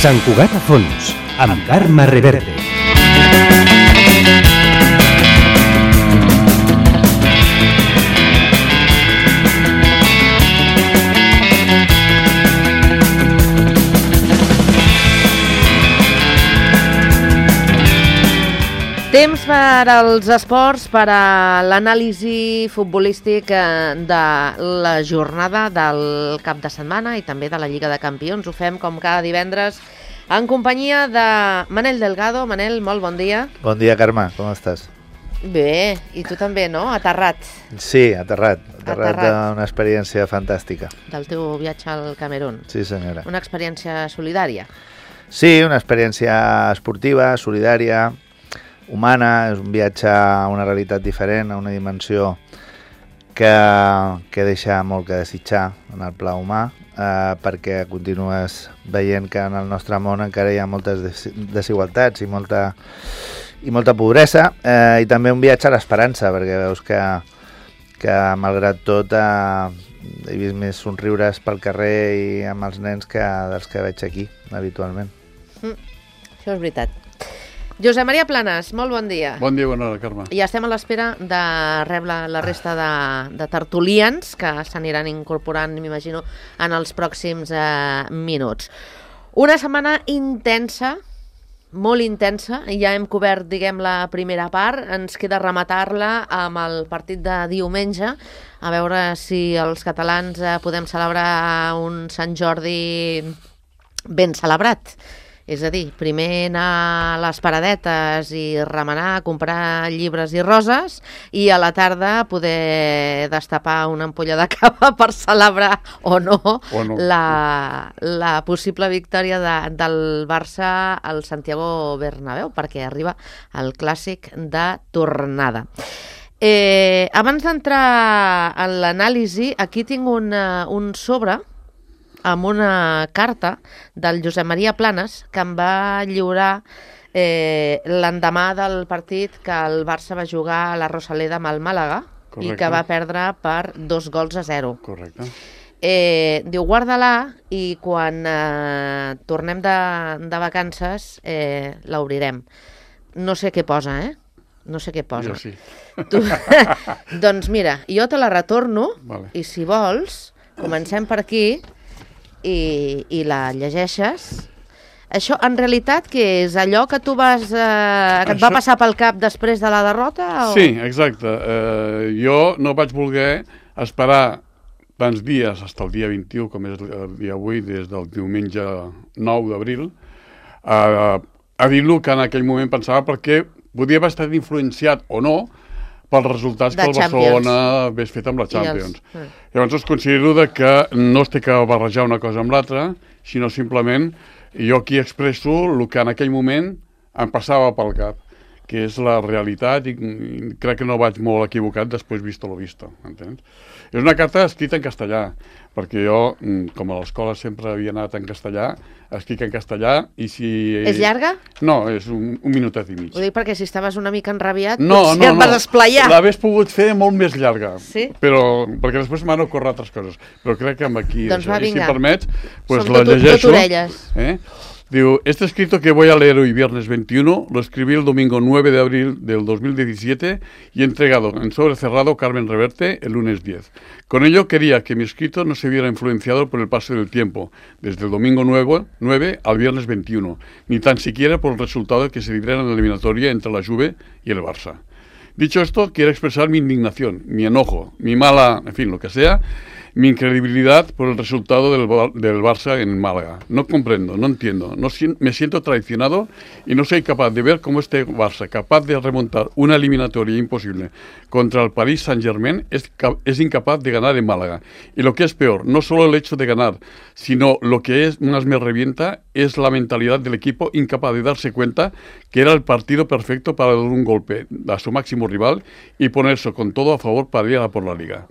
Sant Cugat a fons, amb Carme Reverte. Temps per als esports, per a l'anàlisi futbolístic de la jornada del cap de setmana i també de la Lliga de Campions. Ho fem com cada divendres en companyia de Manel Delgado. Manel, molt bon dia. Bon dia, Carme, com estàs? Bé, i tu també, no? Aterrat. Sí, aterrat d'una experiència fantàstica. Del teu viatge al Camerún. Sí, senyora. Una experiència solidària. Sí, una experiència esportiva, solidària, humana. És un viatge a una realitat diferent, a una dimensió que deixa molt que desitjar en el pla humà, perquè continues veient que en el nostre món encara hi ha moltes desigualtats i molta pobresa, i també un viatge a l'esperança, perquè veus que malgrat tot he vist més somriures pel carrer i amb els nens que dels que veig aquí habitualment. Això és veritat. Josep Maria Planes, molt bon dia. Bon dia, bona hora, Carme. I estem a l'espera de rebre la resta de tertulians que s'aniran incorporant, m'imagino, en els pròxims minuts. Una setmana intensa, molt intensa, ja hem cobert, diguem, la primera part, ens queda rematar-la amb el partit de diumenge, a veure si els catalans podem celebrar un Sant Jordi ben celebrat. És a dir, primer anar a les paradetes i remenar, comprar llibres i roses, i a la tarda poder destapar una ampolla de cava per celebrar o no. La possible victòria del Barça al Santiago Bernabéu, perquè arriba el clàssic de tornada. Abans d'entrar en l'anàlisi, aquí tinc un sobre amb una carta del Josep Maria Planes que em va lliurar l'endemà del partit que el Barça va jugar a la Rosaleda amb el Màlaga. Correcte. I que va perdre per 2-0. Correcte. Diu, guarda-la i quan tornem de vacances l'obrirem. No sé què posa, No sé què posa. Jo sí. Doncs mira, jo te la retorno, vale. I si vols, comencem per aquí i la llegeixes. Això, en realitat, què és? Allò que tu que et va passar pel cap després de la derrota? O? Sí, exacte. Jo no vaig voler esperar tants dies, fins al dia 21, com és el dia avui, des del diumenge 9 d'abril, a dir-lo que en aquell moment pensava, perquè podia haver estat influenciat o no pels resultats que el Barcelona hagués fet amb la Champions. Llavors considero que no es té que barrejar una cosa amb l'altra, sinó simplement jo aquí expresso el que en aquell moment em passava pel cap, que és la realitat, i crec que no vaig molt equivocat després visto lo visto, entens? És una carta escrita en castellà, perquè jo, com a l'escola sempre havia anat en castellà, escric en castellà, i si... És llarga? No, és un minutet i mig. Ho dic perquè si estaves una mica enrabiat, potser et vas esplayar. L'hagués pogut fer molt més llarga, sí? Perquè després m'han ocorregut altres coses, però crec que amb aquí, doncs va, vinga. Si permets, pues la llegeixo. Digo, este escrito que voy a leer hoy, viernes 21, lo escribí el domingo 9 de abril del 2017 y entregado en sobre cerrado Carmen Reverte el lunes 10. Con ello quería que mi escrito no se viera influenciado por el paso del tiempo, desde el domingo 9 al viernes 21, ni tan siquiera por el resultado que se diera en la eliminatoria entre la Juve y el Barça. Dicho esto, quiero expresar mi indignación, mi enojo, mi mala, en fin, lo que sea, mi incredibilidad por el resultado del Barça en Málaga. No comprendo, no entiendo, me siento traicionado y no soy capaz de ver cómo este Barça, capaz de remontar una eliminatoria imposible contra el Paris Saint-Germain, es incapaz de ganar en Málaga. Y lo que es peor, no solo el hecho de ganar, sino lo que más me revienta es la mentalidad del equipo, incapaz de darse cuenta que era el partido perfecto para dar un golpe a su máximo rival y ponerse con todo a favor para ir a por la Liga.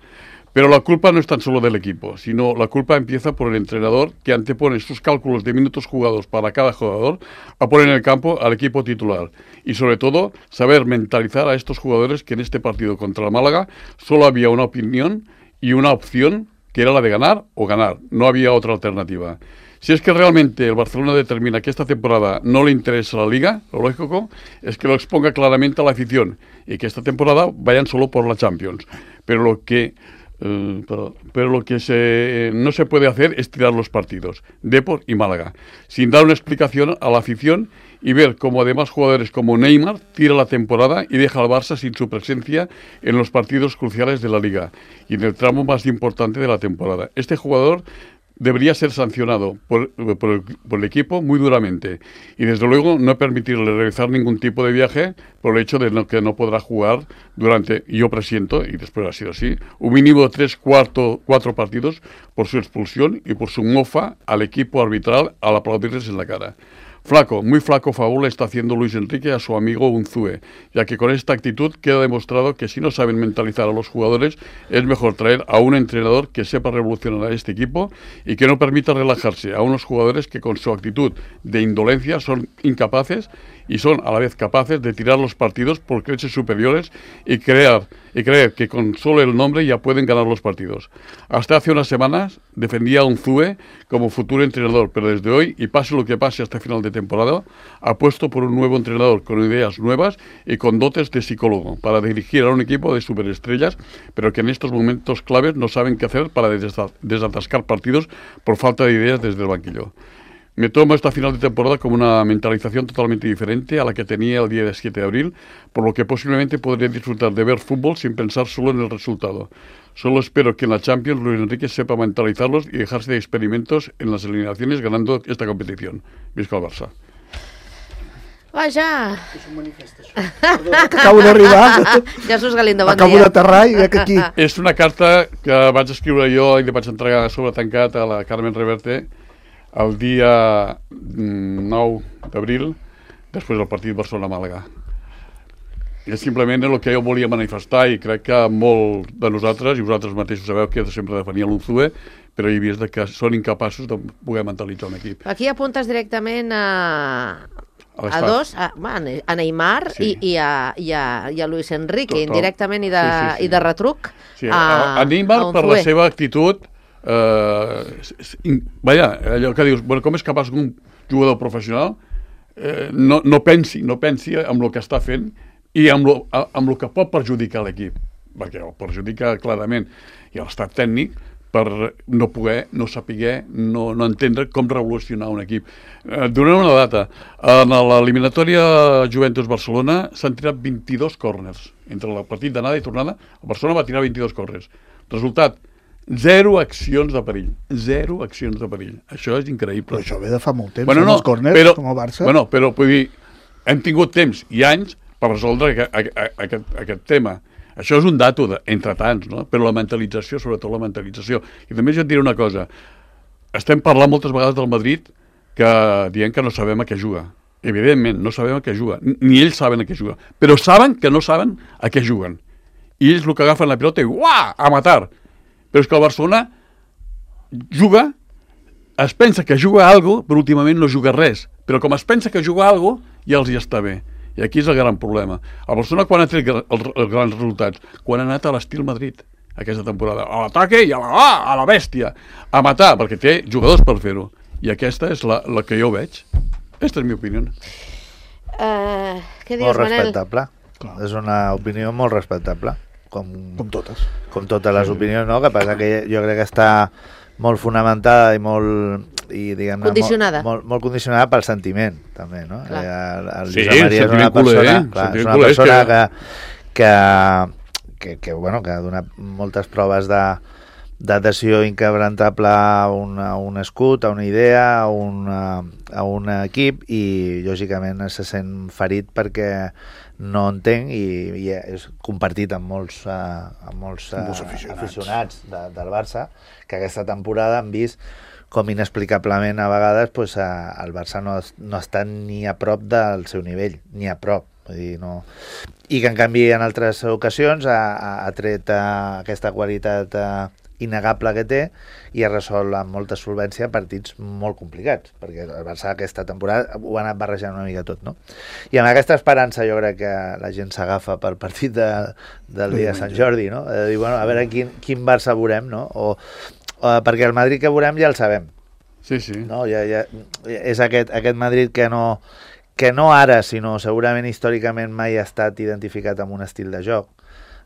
Pero la culpa no es tan solo del equipo, sino la culpa empieza por el entrenador, que antepone sus cálculos de minutos jugados para cada jugador a poner en el campo al equipo titular. Y sobre todo, saber mentalizar a estos jugadores que en este partido contra el Málaga solo había una opinión y una opción, que era la de ganar o ganar. No había otra alternativa. Si es que realmente el Barcelona determina que esta temporada no le interesa la Liga, lo lógico es que lo exponga claramente a la afición y que esta temporada vayan solo por la Champions. Pero lo que no se puede hacer es tirar los partidos, Depor y Málaga, sin dar una explicación a la afición y ver cómo además jugadores como Neymar tira la temporada y deja al Barça sin su presencia en los partidos cruciales de la Liga y en el tramo más importante de la temporada. Este jugador debería ser sancionado por el equipo muy duramente y desde luego no permitirle realizar ningún tipo de viaje por el hecho de que no podrá jugar durante, yo presiento, y después ha sido así, un mínimo de 4 partidos por su expulsión y por su mofa al equipo arbitral al aplaudirles en la cara. Flaco, muy flaco favor le está haciendo Luis Enrique a su amigo Unzue, ya que con esta actitud queda demostrado que si no saben mentalizar a los jugadores, es mejor traer a un entrenador que sepa revolucionar a este equipo y que no permita relajarse a unos jugadores que con su actitud de indolencia son incapaces y son a la vez capaces de tirar los partidos por creces superiores y creer que con solo el nombre ya pueden ganar los partidos. Hasta hace unas semanas defendía a Unzue como futuro entrenador, pero desde hoy, y pase lo que pase hasta final de temporada, apuesto por un nuevo entrenador con ideas nuevas y con dotes de psicólogo para dirigir a un equipo de superestrellas, pero que en estos momentos claves no saben qué hacer para desatascar partidos por falta de ideas desde el banquillo. Me tomo esta final de temporada como una mentalización totalmente diferente a la que tenía el día 7 de abril, por lo que posiblemente podría disfrutar de ver fútbol sin pensar solo en el resultado. Solo espero que en la Champions Luis Enrique sepa mentalizarlos y dejarse de experimentos en las eliminaciones ganando esta competición. Visca el Barça. Vaja! És un manifest, això. Acabo d'arribar. Jesús Galindo, bon dia. Acabo d'aterrar i veig aquí. És una carta que vaig escriure jo i li vaig entregar sobre tancat a la Carmen Reverte el dia 9 d'abril, després del partit Barcelona-Màlaga. És simplement el que jo volia manifestar i crec que molt de nosaltres, i vosaltres mateixos sabeu que sempre defenia l'Unzue, però he vist que són incapaços de poder mentalitzar un equip. Aquí apuntes directament a dos, a Neymar sí. i a Luis Enrique, Total. Indirectament sí. i de retruc. Sí, a Neymar per la seva actitud, allò que dius, bueno, com és capaç un jugador professional no pensi en el que està fent i amb el que pot perjudicar l'equip, perquè el perjudica clarament, i l'estat tècnic per no poder, no saber, no entendre com revolucionar un equip. Donaré una data. En l'eliminatòria Juventus-Barcelona s'han tirat 22 córners. Entre el partit d'anada i tornada, el Barcelona va tirar 22 córners. Resultat, 0 accions de perill. 0 accions de perill. Això és increïble. Però això ve de fa molt temps, els córners, com el Barça. Bueno, però vull dir, hem tingut temps i anys per resoldre aquest tema. Això és un dato entre tants, no? Però la mentalització, sobretot la mentalització. I també jo et diré una cosa. Estem parlant moltes vegades del Madrid que dient que no sabem a què juga. Evidentment, no sabem a què juga. Ni ells saben a què juga. Però saben que no saben a què juguen. I ells el que agafen la pilota i uah, a matar. Però és que el Barcelona juga, es pensa que juga a alguna cosa, però últimament no juga res. Però com es pensa que juga a alguna cosa, ja els hi està bé. I aquí és el gran problema. El Barcelona quan ha tret els grans resultats? Quan ha anat a l'estil Madrid aquesta temporada. A l'ataque i a la bèstia. A matar, perquè té jugadors per fer-ho. I aquesta és la que jo veig. Aquesta és la meva opinió. Què dius, molt Manel? respectable. Clar. És una opinió molt respectable. Com totes. Com totes les opinions, no? Que passa que jo crec que està molt fonamentada i molt... diguem-ne, condicionada. Molt condicionada pel sentiment, també, no? El Sí, Josep Maria és una persona que ha donat moltes proves d'adhesió inquebrantable a un escut, a una idea, a un equip, i lògicament se sent ferit perquè no entenc i és compartit amb molts aficionats del Barça, que aquesta temporada han vist com inexplicablement a vegades el Barça no està ni a prop del seu nivell, ni a prop. Vull dir, no. I que en canvi en altres ocasions ha tret aquesta qualitat innegable que té i ha resolt amb molta solvència partits molt complicats, perquè el Barça aquesta temporada ho ha anat barrejant una mica tot, no? I amb aquesta esperança jo crec que la gent s'agafa pel partit del dia de Sant Jordi, no? De dir, bueno, a veure quin Barça veurem, no? Perquè el Madrid que veurem ja el sabem. Sí, sí. No? És aquest Madrid que no ara, sinó segurament històricament mai ha estat identificat amb un estil de joc.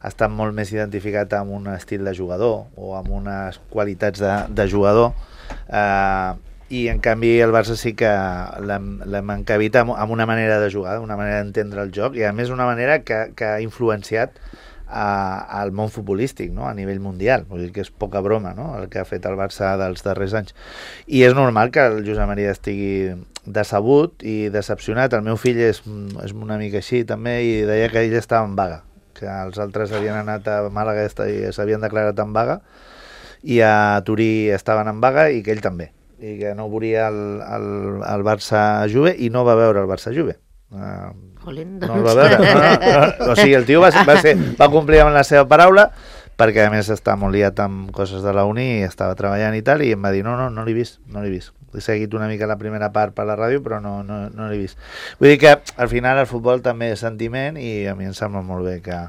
Ha estat molt més identificat amb un estil de jugador o amb unes qualitats de jugador. I en canvi el Barça sí que l'hem encabit amb una manera de jugar, una manera d'entendre el joc, i a més una manera que ha influenciat al món futbolístic, no? A nivell mundial. Vull dir que és poca broma, no? El que ha fet el Barça dels darrers anys. I és normal que el Josep Maria estigui decebut i decepcionat. El meu fill és una mica així també, i deia que ell estava en vaga, que els altres havien anat a Màlaga i s'havien declarat en vaga, i a Turí estaven en vaga, i que ell també, i que no volia el Barça-Juve, i no va veure el Barça-Juve. No el va veure. O sigui, el tio va complir amb la seva paraula, perquè a més està molt liat amb coses de la uni i estava treballant i tal, i em va dir no l'he vist. He seguit una mica la primera part per la ràdio, però no l'he vist. Vull dir que al final el futbol també és sentiment, i a mi em sembla molt bé que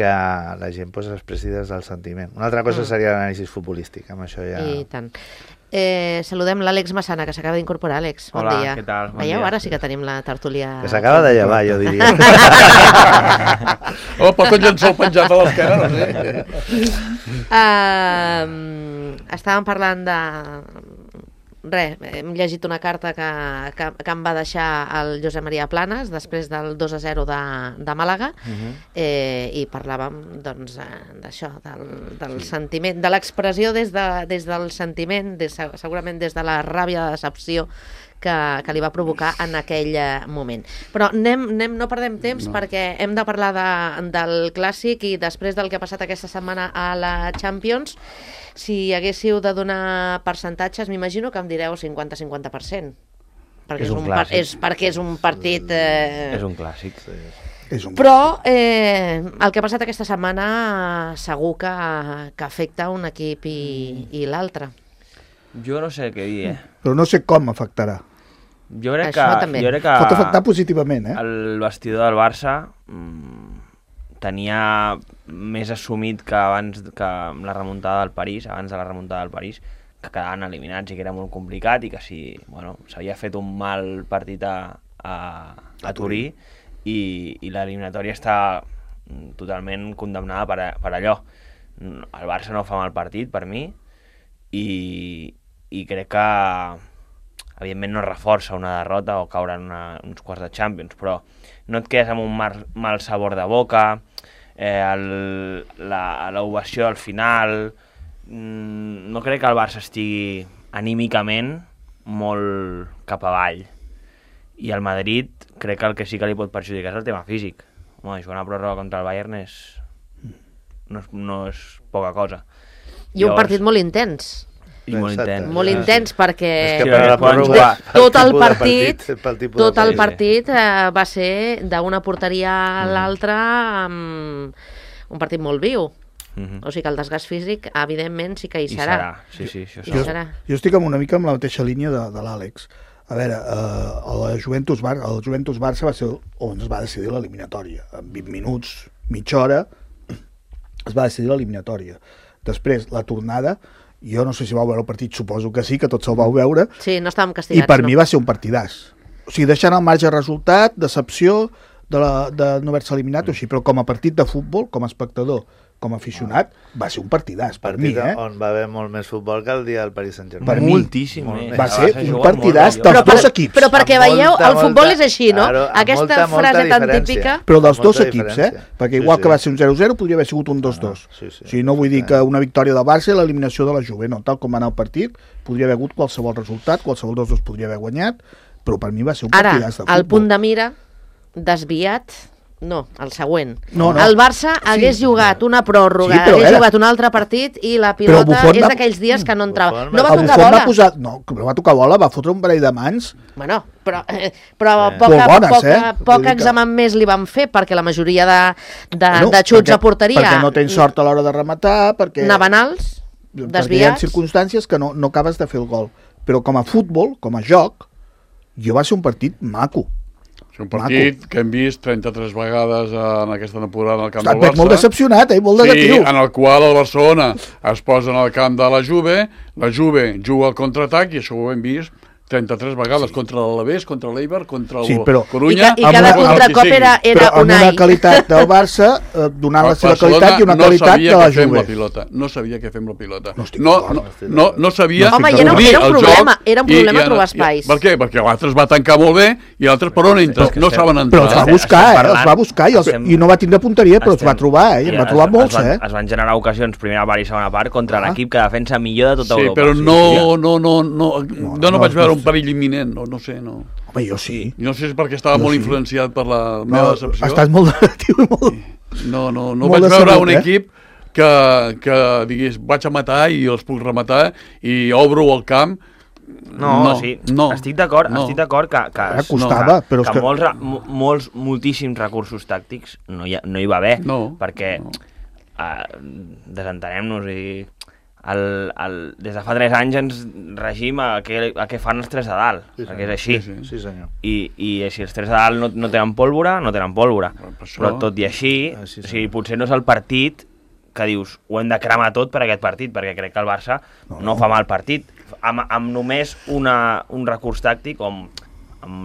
la gent s'expressi des del sentiment. Una altra cosa seria l'anàlisi futbolístic, amb això ja... I tant. Saludem l'Àlex Massana, que s'acaba d'incorporar. Àlex, bon dia. Què tal? Bon Veieu, dia. ara sí que tenim la tertúlia... Que s'acaba de llevar, jo diria. Porta un llençol penjat a l'esquena, no sé. Estàvem parlant de... hem llegit una carta que em va deixar el Josep Maria Planes després del 2-0 de Màlaga, i parlàvem doncs d'això, del sentiment, de l'expressió des del sentiment, segurament des de la ràbia de decepció que li va provocar en aquell moment. Però no perdem temps, perquè hem de parlar del Clàssic, i després del que ha passat aquesta setmana a la Champions, si haguéssiu de donar percentatges, m'imagino que em direu 50-50%. Perquè és un partit... És un clàssic. Però el que ha passat aquesta setmana segur que afecta un equip i l'altre. Jo no sé què dir, Però no sé com afectarà. Jo crec també. que pot afectar positivament, el vestidor del Barça tenia més assumit que abans de la remuntada del París, que quedaven eliminats i que era molt complicat, i que s'havia fet un mal partit a Turí, i l'eliminatòria està totalment condemnada per allò. El Barça no fa mal partit, per mi, i crec que evidentment no reforça una derrota o caure en uns quarts de Champions, però no et quedes amb un mal sabor de boca, l'ovació al final. No crec que el Barça estigui anímicament molt cap avall, i el Madrid crec que el que sí que li pot perjudicar és el tema físic. Jugar una pròrroga contra el Bayern no és poca cosa. I un partit molt intens. Molt intens, perquè tot el partit va ser d'una porteria a l'altra, un partit molt viu. O sigui que el desgast físic, evidentment, sí que hi serà. Jo estic una mica amb la mateixa línia de l'Àlex. A veure, el Juventus Barça va ser on es va decidir l'eliminatòria. En 20 minuts, mitja hora, es va decidir l'eliminatòria. Després, la tornada, jo no sé si vau veure el partit, suposo que sí, que tots el vau veure. Sí, no estàvem castigats. I per mi va ser un partidàs. O sigui, deixant al marge resultat, decepció de no haver-se eliminat, o així, però com a partit de futbol, com a espectador, com a aficionat, va ser un partidàs per mi, on va haver molt més futbol que el dia del Paris Saint-Germain. Per mi, moltíssim. Va ser un partidàs dels dos equips. Però perquè veieu, el futbol és així, no? Aquesta frase tan típica... Però dels dos equips, perquè igual que va ser un 0-0, podria haver sigut un 2-2. O sigui, no vull dir que una victòria del Barça i l'eliminació de la Juve, no, tal com va anar el partit, podria haver hagut qualsevol resultat, qualsevol dels dos podria haver guanyat, però per mi va ser un partidàs de futbol. Ara, el punt de mira desviat... No, el següent. No. El Barça hagués jugat una pròrroga, hagués jugat un altre partit, i la pilota és d'aquells dies que no entrava. No va tocar bola. No va tocar bola, va fotre un parell de mans. Bueno, però poc examen més li van fer, perquè la majoria de xuts a porteria... Perquè no tens sort a l'hora de rematar, perquè... Anaven alts, desviats... Perquè hi ha circumstàncies que no acabes de fer el gol. Però com a futbol, com a joc, va ser un partit maco. És un partit que hem vist 33 vegades en aquesta temporada al camp del Barça. Molt decepcionat, molt negatiu. Sí, en el qual el Barcelona es posa en el camp de la Juve juga al contraatac i això ho hem vist 33 vegades contra l'Alavés, contra l'Eibar, contra el Corunya... I cada contracop era però amb una qualitat del Barça, donant la seva qualitat i una qualitat de la Juve. No sabia què fer amb la pilota. No sabia... Home, era un problema trobar espais. Per què? Perquè l'altre es va tancar molt bé i l'altre per on entra? No saben entrar. Però els va buscar i no va tindre punteria, però els va trobar, en va trobar molts, Es van generar ocasions, primera part i segona part, contra l'equip que defensa millor de tota Europa. Sí, però no vaig veure un perill imminent, no sé, no. Home, jo sí. No sé si és perquè estava molt influenciat per la meva decepció. Estàs molt negatiu i molt... No vaig veure un equip que digués, vaig a matar i els puc rematar i obro el camp. Estic d'acord que moltíssims recursos tàctics no hi va haver, perquè desentenem-nos i des de fa 3 anys ens regim a què fan els 3 de dalt, perquè és així. Sí, senyor. I si els 3 de dalt no tenen pólvora, no tenen pólvora. Però tot i així, potser no és el partit que dius, ho hem de cremar tot per aquest partit, perquè crec que el Barça no fa mal partit, amb només un recurs tàctic amb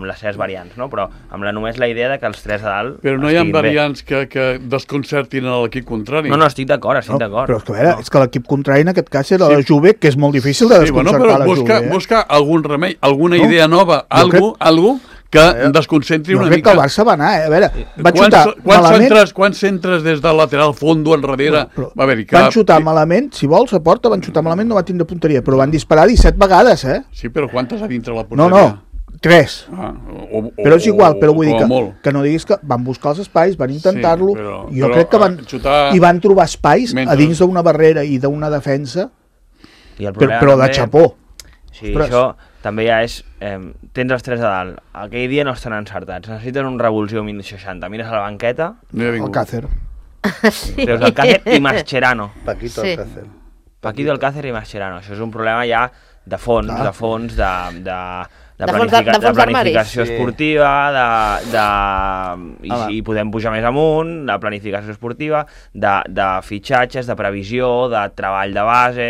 les seves variants, no? Però amb només la idea de que els 3 de dalt però no hi ha variants que desconcertin a l'equip contrari. No, estic d'acord. Però és que, a veure, és que l'equip contrari en aquest cas era la Juve, que és molt difícil de desconcertar la Juve. Busca algun remei, alguna idea nova, algo que desconcentri una mica. Jo crec que el Barça va anar, a veure, va xutar malament... Quants centres des del lateral fondo enrere? Van xutar malament, si vols, a porta, van xutar malament, no va tindre punteria, però van disparar 17 vegades, Sí, però quantes a dintre la porteria? No, 3. Però és igual, però vull dir que no diguis que van buscar els espais, van intentar-lo, jo crec que van trobar espais a dins d'una barrera i d'una defensa, però de xapó. Sí, això també ja és... Tens els 3 de dalt, aquell dia no estan encertats, necessiten un revulsió 1060, mires a la banqueta... Alcácer. Veus Alcácer i Mascherano. Paquito Alcácer. Paquito Alcácer i Mascherano. Això és un problema ja de fons, de planificació esportiva, i podem pujar més amunt, de planificació esportiva, de fitxatges, de previsió, de treball de base...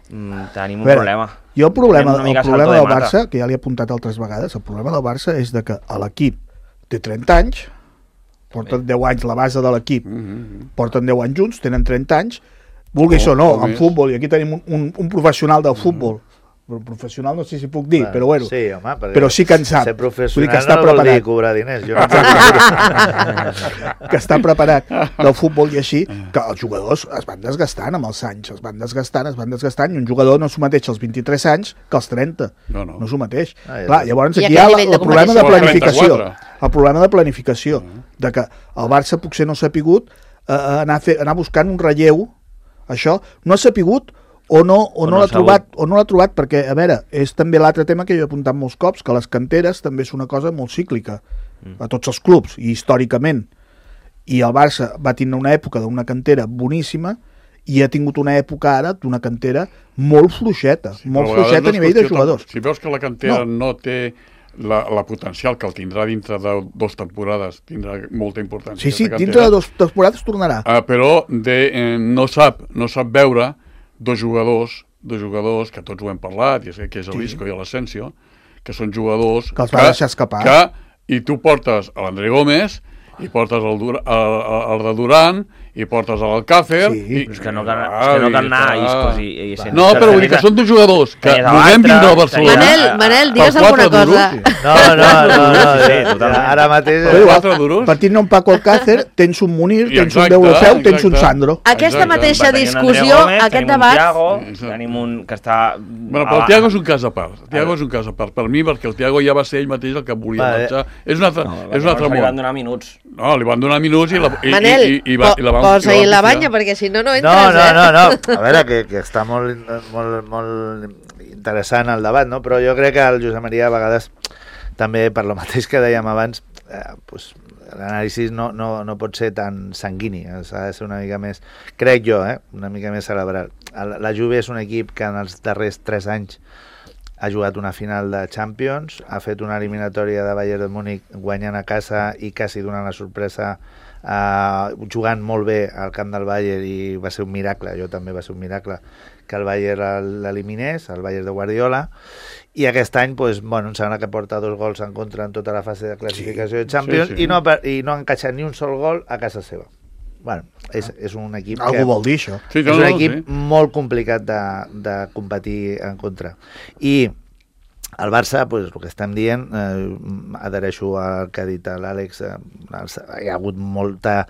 Tenim un problema. Jo el problema del Barça, que ja l'he apuntat altres vegades, el problema del Barça és de que l'equip té 30 anys, porten 10 anys la base de l'equip, porten 10 anys junts, tenen 30 anys, vulguis o no, en futbol, i aquí tenim un professional del futbol, professional no sé si puc dir, però bueno, sí, home, però sí que en sap, ser professional que està preparat. No vol dir cobrar diners, que està preparat del futbol i així, que els jugadors es van desgastant amb els anys, es van desgastant, i un jugador no s'ho mateix als 23 anys que als 30, no s'ho mateix. Clar, llavors aquí hi ha el problema de planificació, de que el Barça potser no s'ha sapigut anar buscant un relleu, això, no ha sapigut o no l'ha trobat, perquè, a veure, és també l'altre tema que jo he apuntat molts cops, que les canteres també és una cosa molt cíclica a tots els clubs, i històricament, i el Barça va tenir una època d'una cantera boníssima i ha tingut una època ara d'una cantera molt fluixeta, a nivell de jugadors. Si veus que la cantera no té la potencial que el tindrà dintre de 2 temporades, tindrà molta importància. Sí, dintre de 2 temporades tornarà. Però no sap veure dos jugadors que tots ho hem parlat, que és l'Isco i l'Asensio, que són jugadors que els va deixar escapar. I tu portes a l'André Gómez, i portes el de Durant, i portes l'Alcácer... És que no cal anar a Iscos i Asensio. No, però vull dir que són dos jugadors que volem vindre al Barcelona. Manel, digues alguna cosa. No, ara mateix... Partint un Paco Alcácer, tens un Munir, tens un Deulofeu, tens un Sandro. Aquesta mateixa discussió, aquest debat... Tenim un que està... Bueno, però el Thiago és un cas a part. Per mi, perquè el Thiago ja va ser ell mateix el que volia marxar. És un altre món. Li van donar minuts. No, li van donar minuts i la van... Posa-hi la banya, perquè si no entres, No. A veure, que està molt interessant el debat, no? Però jo crec que el Josep Maria a vegades, també per lo mateix que dèiem abans, l'anàlisi no pot ser tan sanguini, s'ha de ser una mica més, crec jo, una mica més cerebral. La Juve és un equip que en els darrers 3 anys ha jugat una final de Champions, ha fet una eliminatòria de Bayern de Múnich guanyant a casa i quasi donant la sorpresa jugant molt bé al camp del Bayern, i va ser un miracle, jo també va ser un miracle que el Bayern l'eliminés, el Bayern de Guardiola, i aquest any doncs, bueno, em sembla que porta 2 gols en contra en tota la fase de classificació de Champions, I no ha encaixat ni un sol gol a casa seva. Bueno, és un equip algú vol dir això. És un equip molt complicat de competir en contra. I el Barça, pues, el que estem dient, adhereixo al que ha dit l'Àlex, hi ha hagut molta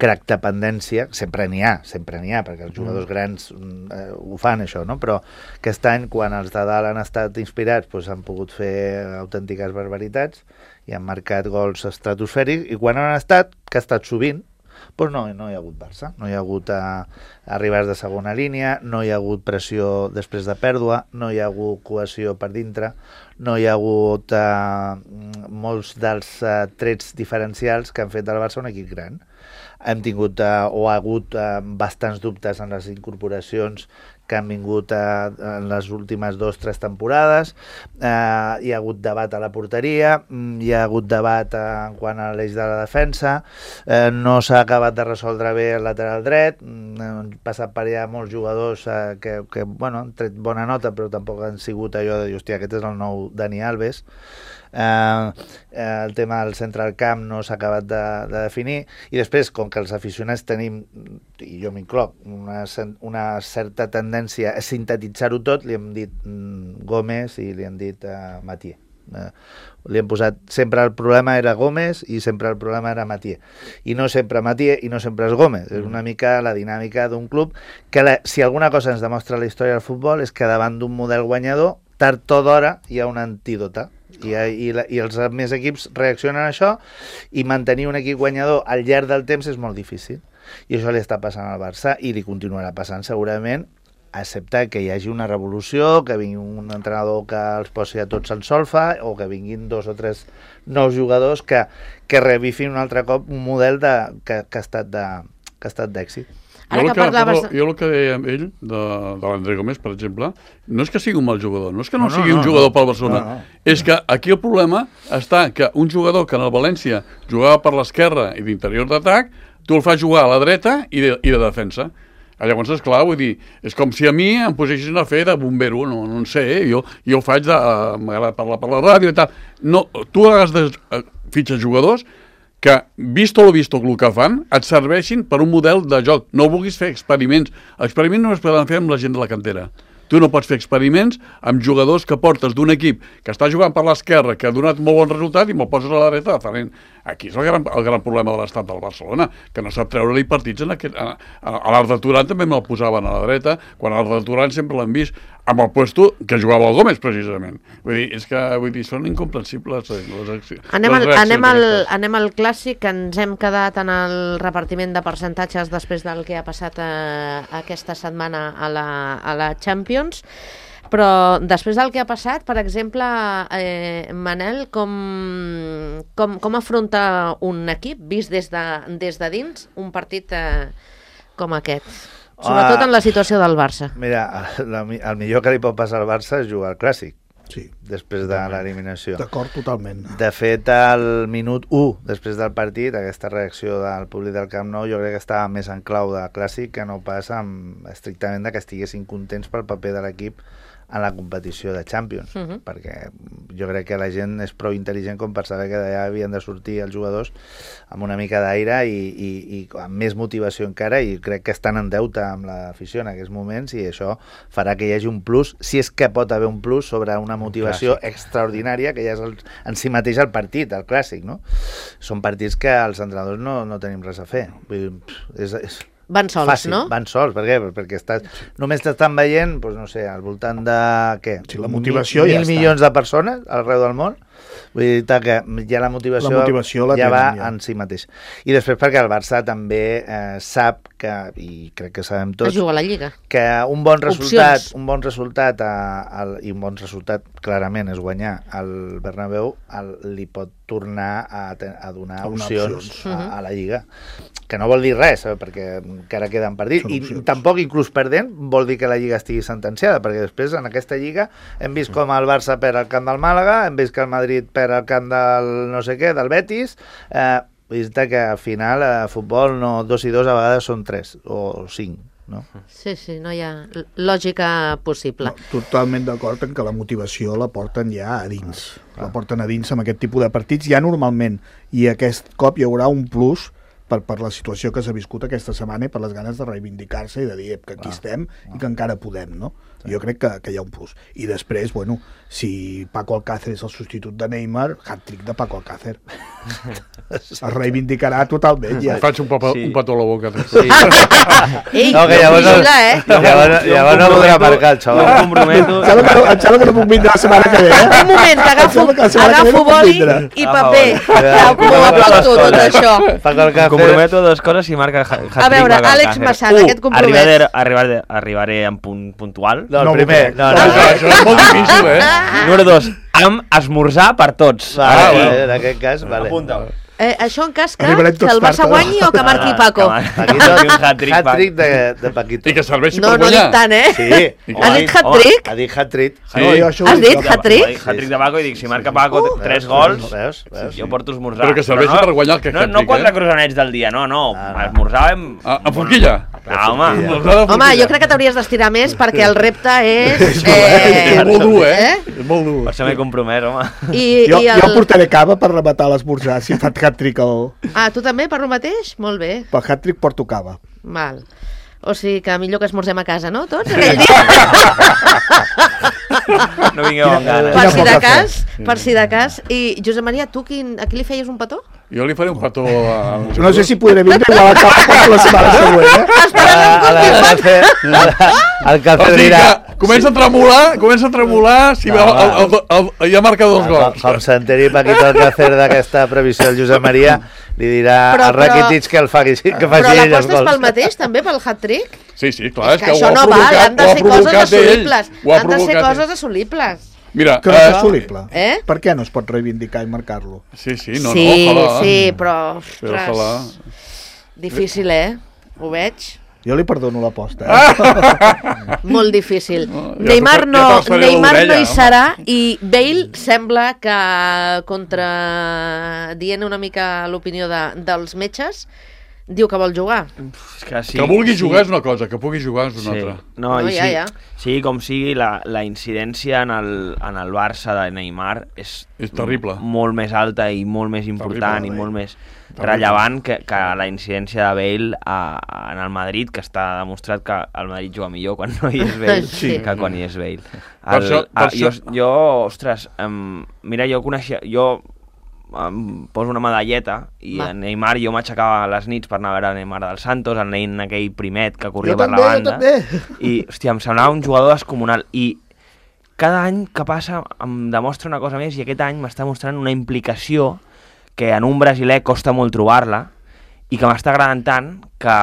crack-dependència, sempre n'hi ha, perquè els jugadors grans ho fan, això, no? Però aquest any, quan els de dalt han estat inspirats, pues, han pogut fer autèntiques barbaritats i han marcat gols estratosfèrics, i quan han estat, que ha estat sovint, doncs no hi ha hagut Barça, no hi ha hagut arribats de segona línia, no hi ha hagut pressió després de pèrdua, no hi ha hagut cohesió per dintre, no hi ha hagut molts dels trets diferencials que han fet del Barça un equip gran. Hem tingut ha hagut bastants dubtes en les incorporacions que han vingut en les últimes 2-3 temporades, hi ha hagut debat a la porteria, hi ha hagut debat en quant a l'eix de la defensa, no s'ha acabat de resoldre bé el lateral dret, han passat per allà molts jugadors que bueno, han tret bona nota, però tampoc han sigut allò de dir, hòstia, aquest és el nou Dani Alves. El tema del centre del camp no s'ha acabat de definir, i després, com que els aficionats tenim, i jo m'incloc, una certa tendència a sintetitzar-ho tot, li hem dit Gómez i li hem dit Mathieu. Li hem posat, sempre el problema era Gómez i sempre el problema era Mathieu, i no sempre Mathieu i no sempre és Gómez. És una mica la dinàmica d'un club que si alguna cosa ens demostra la història del futbol és que davant d'un model guanyador, tard o d'hora hi ha una antídota, i els més equips reaccionen a això, i mantenir un equip guanyador al llarg del temps és molt difícil, i això li està passant al Barça i li continuarà passant segurament, excepte que hi hagi una revolució, que vingui un entrenador que els posi a tots en solfa, o que vinguin 2 o 3 nous jugadors que revifin un altre cop un model que ha estat d'èxit. Jo el que deia amb ell, de l'André Gómez, per exemple, no és que sigui un mal jugador, no és que no sigui un jugador pel Barcelona, és que aquí el problema està que un jugador que en el València jugava per l'esquerra i d'interior d'atac, tu el fas jugar a la dreta i de defensa. Llavors, esclar, vull dir, és com si a mi em posessin a fer de bombero, no en sé, jo faig m'agrada parlar per la ràdio i tal. No, tu has de fitxar jugadors que, visto el que fan, et serveixin per un model de joc. No vulguis fer experiments. Experiments no es poden fer amb la gent de la cantera. Tu no pots fer experiments amb jugadors que portes d'un equip que està jugant per l'esquerra, que ha donat molt bon resultat, i me'l poses a la dreta de talent. Aquí és el gran problema de l'estat del Barcelona, que no sap treure-li partits a l'Arda Turan també me'l posaven a la dreta, quan a l'Arda Turan sempre l'han vist amb el puesto que jugava el Gómez, precisament. Vull dir, són incomprensibles les accions. Anem al clàssic, que ens hem quedat en el repartiment de percentatges després del que ha passat aquesta setmana a la Champions. Però després del que ha passat, per exemple, Manel, com afronta un equip, vist des de dins, un partit com aquest? Sobretot en la situació del Barça. Mira, el millor que li pot passar al Barça és jugar al Clàssic. Sí, després de l'eliminació. D'acord, totalment. De fet, al minut 1, després del partit, aquesta reacció del públic del Camp Nou, jo crec que estava més en clau de Clàssic que no pas estrictament que estiguessin contents pel paper de l'equip en la competició de Champions, perquè jo crec que la gent és prou intel·ligent com per saber que d'allà havien de sortir els jugadors amb una mica d'aire i amb més motivació encara, i crec que estan en deute amb l'afició en aquests moments, i això farà que hi hagi un plus, si és que pot haver un plus sobre una motivació extraordinària, que ja és en si mateix el partit, el Clàssic, no? Són partits que els entrenadors no tenim res a fer. Vull dir, van sols, fàcil, no? Van sols, per què? Perquè només t'estan veient, doncs no sé, al voltant de, què? Sí, la motivació 1.000 milions de persones arreu del món, Vull dir que ja la motivació la ja va tenen, en si mateix. I després perquè el Barça també sap que, i crec que sabem tots, juga a la Lliga. Que un bon resultat, Opcions. i un bon resultat clarament és guanyar al Bernabéu, li pot tornar a donar opcions a la Lliga, que no vol dir res, perquè encara queden partits, i tampoc inclús perdent vol dir que la Lliga estigui sentenciada, perquè després en aquesta Lliga hem vist com el Barça perd al camp del Màlaga, hem vist que el Madrid perd al camp del no sé què, del Betis, vista que al final a futbol 2 i 2 a vegades són 3 o 5, no? Sí, no hi ha lògica possible. No, totalment d'acord en que la motivació la porten ja a dins. La porten a dins amb aquest tipus de partits ja normalment, i aquest cop hi haurà un plus per la situació que s'ha viscut aquesta setmana i per les ganes de reivindicar-se i de dir que aquí estem i que encara podem, no? Jo crec que hi ha un plus. I després, bueno, si Paco Alcácer és el substitut de Neymar, hat-trick de Paco Alcácer. Es reivindicarà totalment, ja. Faig un petó a la boca. Sí. Ei, no, que vigila, llavors no podrà marcar el xaval. Jo em comprometo. Em sembla que no puc vindre la setmana que ve, Un moment, que agafo boli i paper. M'ho apunto tot això. Em comprometo a dues coses si marca hat-trick. A veure, Àlex Massana, aquest compromès. Arribaré en punt puntual. No, el primer. No. Això és molt difícil, Número 2, amb esmorzar per tots. En aquest cas, vale. Apunta. Això en cas que el Barça guanyi o que marqui Paco? Hat-trick de Paquito. I que serveixi No, per no guanyar. dic tant, Sí. Has dit hat-trick? Ha dit hat-trick. Has dit hat-trick? Hat-trick de Paco i dic, si marca Paco 3 gols, jo porto esmorzar. Però que serveixi per guanyar el que hat-trick, No 4 croissants del dia, no. Esmorzar amb... A forquilla? Home. Home, jo crec que t'hauries d'estirar més perquè el repte és... És molt dur, És molt dur. Per això m'he compromès, home. Jo portaré cava per rematar l'esmorzar, si fa hat-trick el... Ah, tu també, per lo mateix? Molt bé. Per hat-trick porto cava. Val. O sigui que millor que esmorzem a casa, no? Tots, aquell dia? No vingueu amb ganes. Per si de cas. I, Josep Maria, tu a qui li feies un petó? Jo li faré un petó a... No sé si podré vindre igual a cava la setmana següent, El Calcer dirà... Comença a tremolar si ja marca 2 gols. Com s'enteri Paquito Alcácer d'aquesta previsió del Josep Maria, li dirà a Rakitic que faci ell els gols. Però l'aposta és pel mateix, també, pel hat-trick? Sí, clar, és que això no val, han de ser coses assolibles. Han de ser coses assolibles. Mira, que no és assolible. Per què no es pot reivindicar i marcar-lo? Sí, ojalà. Sí, però... Ostres, difícil, Ho veig. Jo li perdono l'aposta. Molt difícil. Neymar no hi serà i Bale sembla que contradient una mica l'opinió dels metges diu que vol jugar. Que vulgui jugar és una cosa, que pugui jugar és una altra. No, sigui com sigui, la incidència en el Barça de Neymar és terrible. Molt més alta i molt més important i molt més rellevant que la incidència de Bale en el Madrid, que està demostrat que el Madrid juga millor quan no hi és Bale que quan hi és Bale. Jo, ostres, mira, jo coneixia... em poso una medalleta i a Neymar jo m'aixecava a les nits per anar a veure Neymar del Santos, el nen aquell primet que corria per la banda. I, hòstia, em semblava un jugador descomunal. I cada any que passa em demostra una cosa més i aquest any m'està mostrant una implicació que en un brasiler costa molt trobar-la i que m'està agradant tant que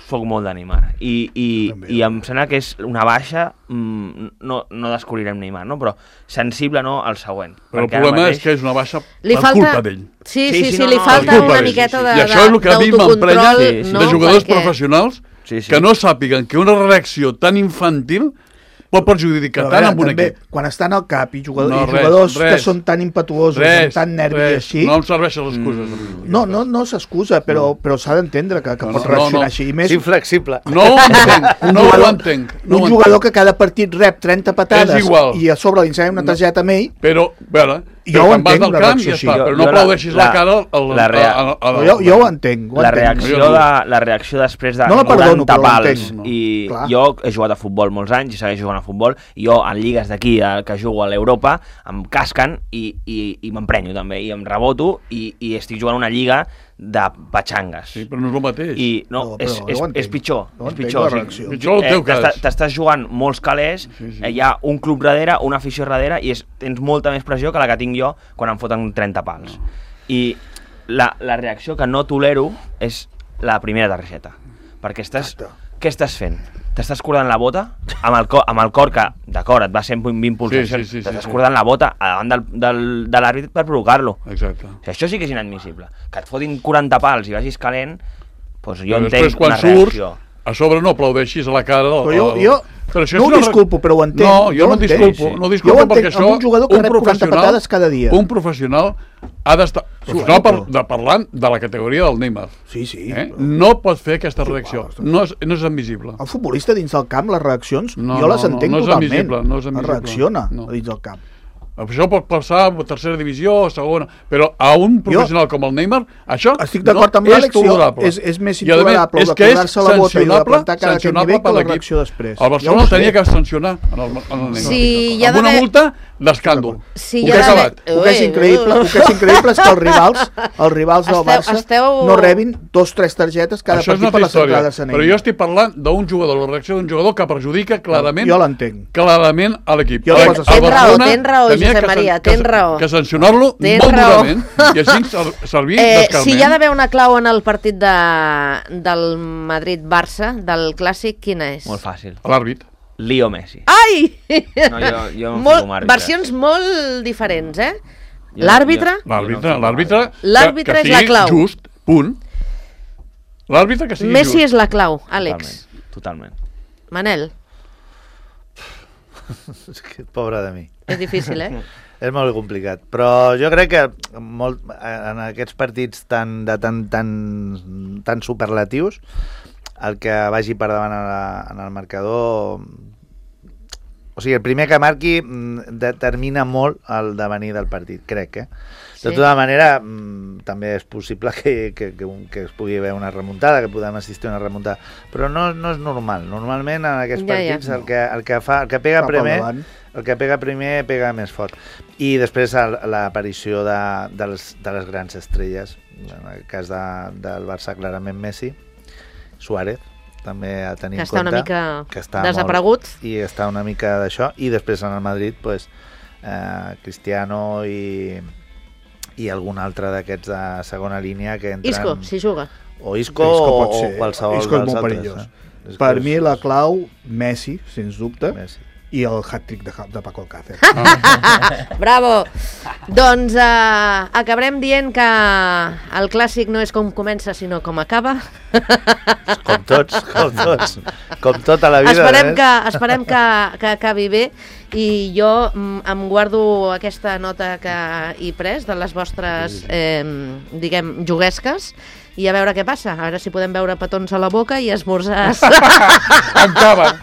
soc molt de Neymar. I em sembla que és una baixa, no descobrirem Neymar, no? Però sensible al següent. Però el problema és que és una baixa per culpa d'ell. Sí, li falta una miqueta d'autocontrol. I això és el que a mi m'emprenya de jugadors professionals que no sàpiguen que una reacció tan infantil pot perjudicar tant amb un equip. Quan estan al cap i jugadors que són tan impetuosos, amb tant nervi i així... No em serveixen les excuses. No s'excusa, però s'ha d'entendre que pot reaccionar així. És inflexible. No ho entenc. Un jugador que cada partit rep 30 patades i a sobre li ensenya una targeta amb ell... Però, a veure... Jo ho entenc, una reacció així. Però no aplaudeixis la cara... Jo ho entenc. La reacció després de 90 pals. I jo he jugat a futbol molts anys i segueixo jugant a futbol. I jo, en lligues d'aquí, que jugo a l'Europa, em casquen i m'emprenyo també. I em reboto i estic jugant una lliga de patxangues. Sí, però no és el mateix. I no, és pitjor. És pitjor. Pitjor el teu cas. T'estàs jugant molts calés, hi ha un club darrere, una afició darrere, i tens molta més pressió que la que tinc jo quan em foten 30 pals. I la reacció que no tolero és la primera targeta. Perquè què estàs fent? T'estàs cordant la bota amb el cor que, d'acord, et va ser 20 pulsacions, t'estàs cordant la bota davant de l'àrbitre per provocar-lo. Exacte. Això sí que és inadmissible. Que et fotin 40 pals i vagis calent, doncs jo entenc després, quan una reacció. A sobre no aplaudeixis a la cara... Jo no ho disculpo, però ho entenc. No, jo no disculpo perquè això... un jugador que rep 40 patades cada dia. Un professional ha d'estar... Parlant de la categoria del Neymar. Sí. No pot fer aquesta reacció. No és admissible. El futbolista dins del camp, les reaccions, jo les entenc totalment. No és admissible. Reacciona dins del camp. Això pot passar a tercera divisió o segona, però a un professional com el Neymar, això estic d'acord amb l'Àlex, és més intolerable de cordar-se la bota i de plantar cara a aquest nivell que la reacció després. El Barcelona tenia que sancionar en el Neymar. Amb una multa d'escàndol. El que és increïble és que els rivals del Barça no rebin 2 o 3 targetes cada partit per la centrada de Sanell. Però jo estic parlant d'un jugador, la reacció d'un jugador que perjudica clarament a l'equip. Tens raó, Josep Maria, tens raó. Que sancionar-lo molt durament i així servir d'escarment. Si hi ha d'haver una clau en el partit del Madrid-Barça, del Clàssic, quina és? Molt fàcil. L'àrbit. Leo Messi. Ai! No, jo no fico amb àrbitres. Versions molt diferents, eh? L'àrbitre? L'àrbitre és la clau. Just, punt. L'àrbitre que sigui just. Messi és la clau, Àlex. Totalment. Manel. Pobre de mi. És difícil, eh? És molt complicat, però jo crec que en aquests partits tan superlatius, el que vagi per davant en el marcador... O sigui, el primer que marqui determina molt el devenir del partit, crec, eh? De tota manera, també és possible que es pugui haver una remuntada, que podem assistir a una remuntada, però no és normal. Normalment en aquests partits el que pega primer pega més fort. I després l'aparició de les grans estrelles, en el cas del Barça clarament Messi, Suárez, també a tenir en compte, que està desaparegut i està una mica d'això, i després en el Madrid Cristiano i algun altre d'aquests de segona línia que entren... Isco, si juga. O Isco o qualsevol Isco és molt perillós. Per mi la clau, Messi, sens dubte, i el hat-trick de Paco Alcácer. Bravo! Doncs acabarem dient que el Clàssic no és com comença, sinó com acaba. Com tots. Com tota la vida. Esperem que acabi bé, i jo em guardo aquesta nota que he pres de les vostres, diguem, juguesques, i a veure què passa, a veure si podem veure petons a la boca i esmorzars. Amb cava.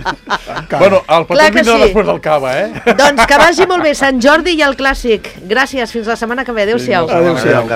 Bueno, el petó vindrà després del cava, eh? Doncs que vagi molt bé Sant Jordi i el Clàssic. Gràcies, fins la setmana que ve. Adéu-siau. Adéu-siau.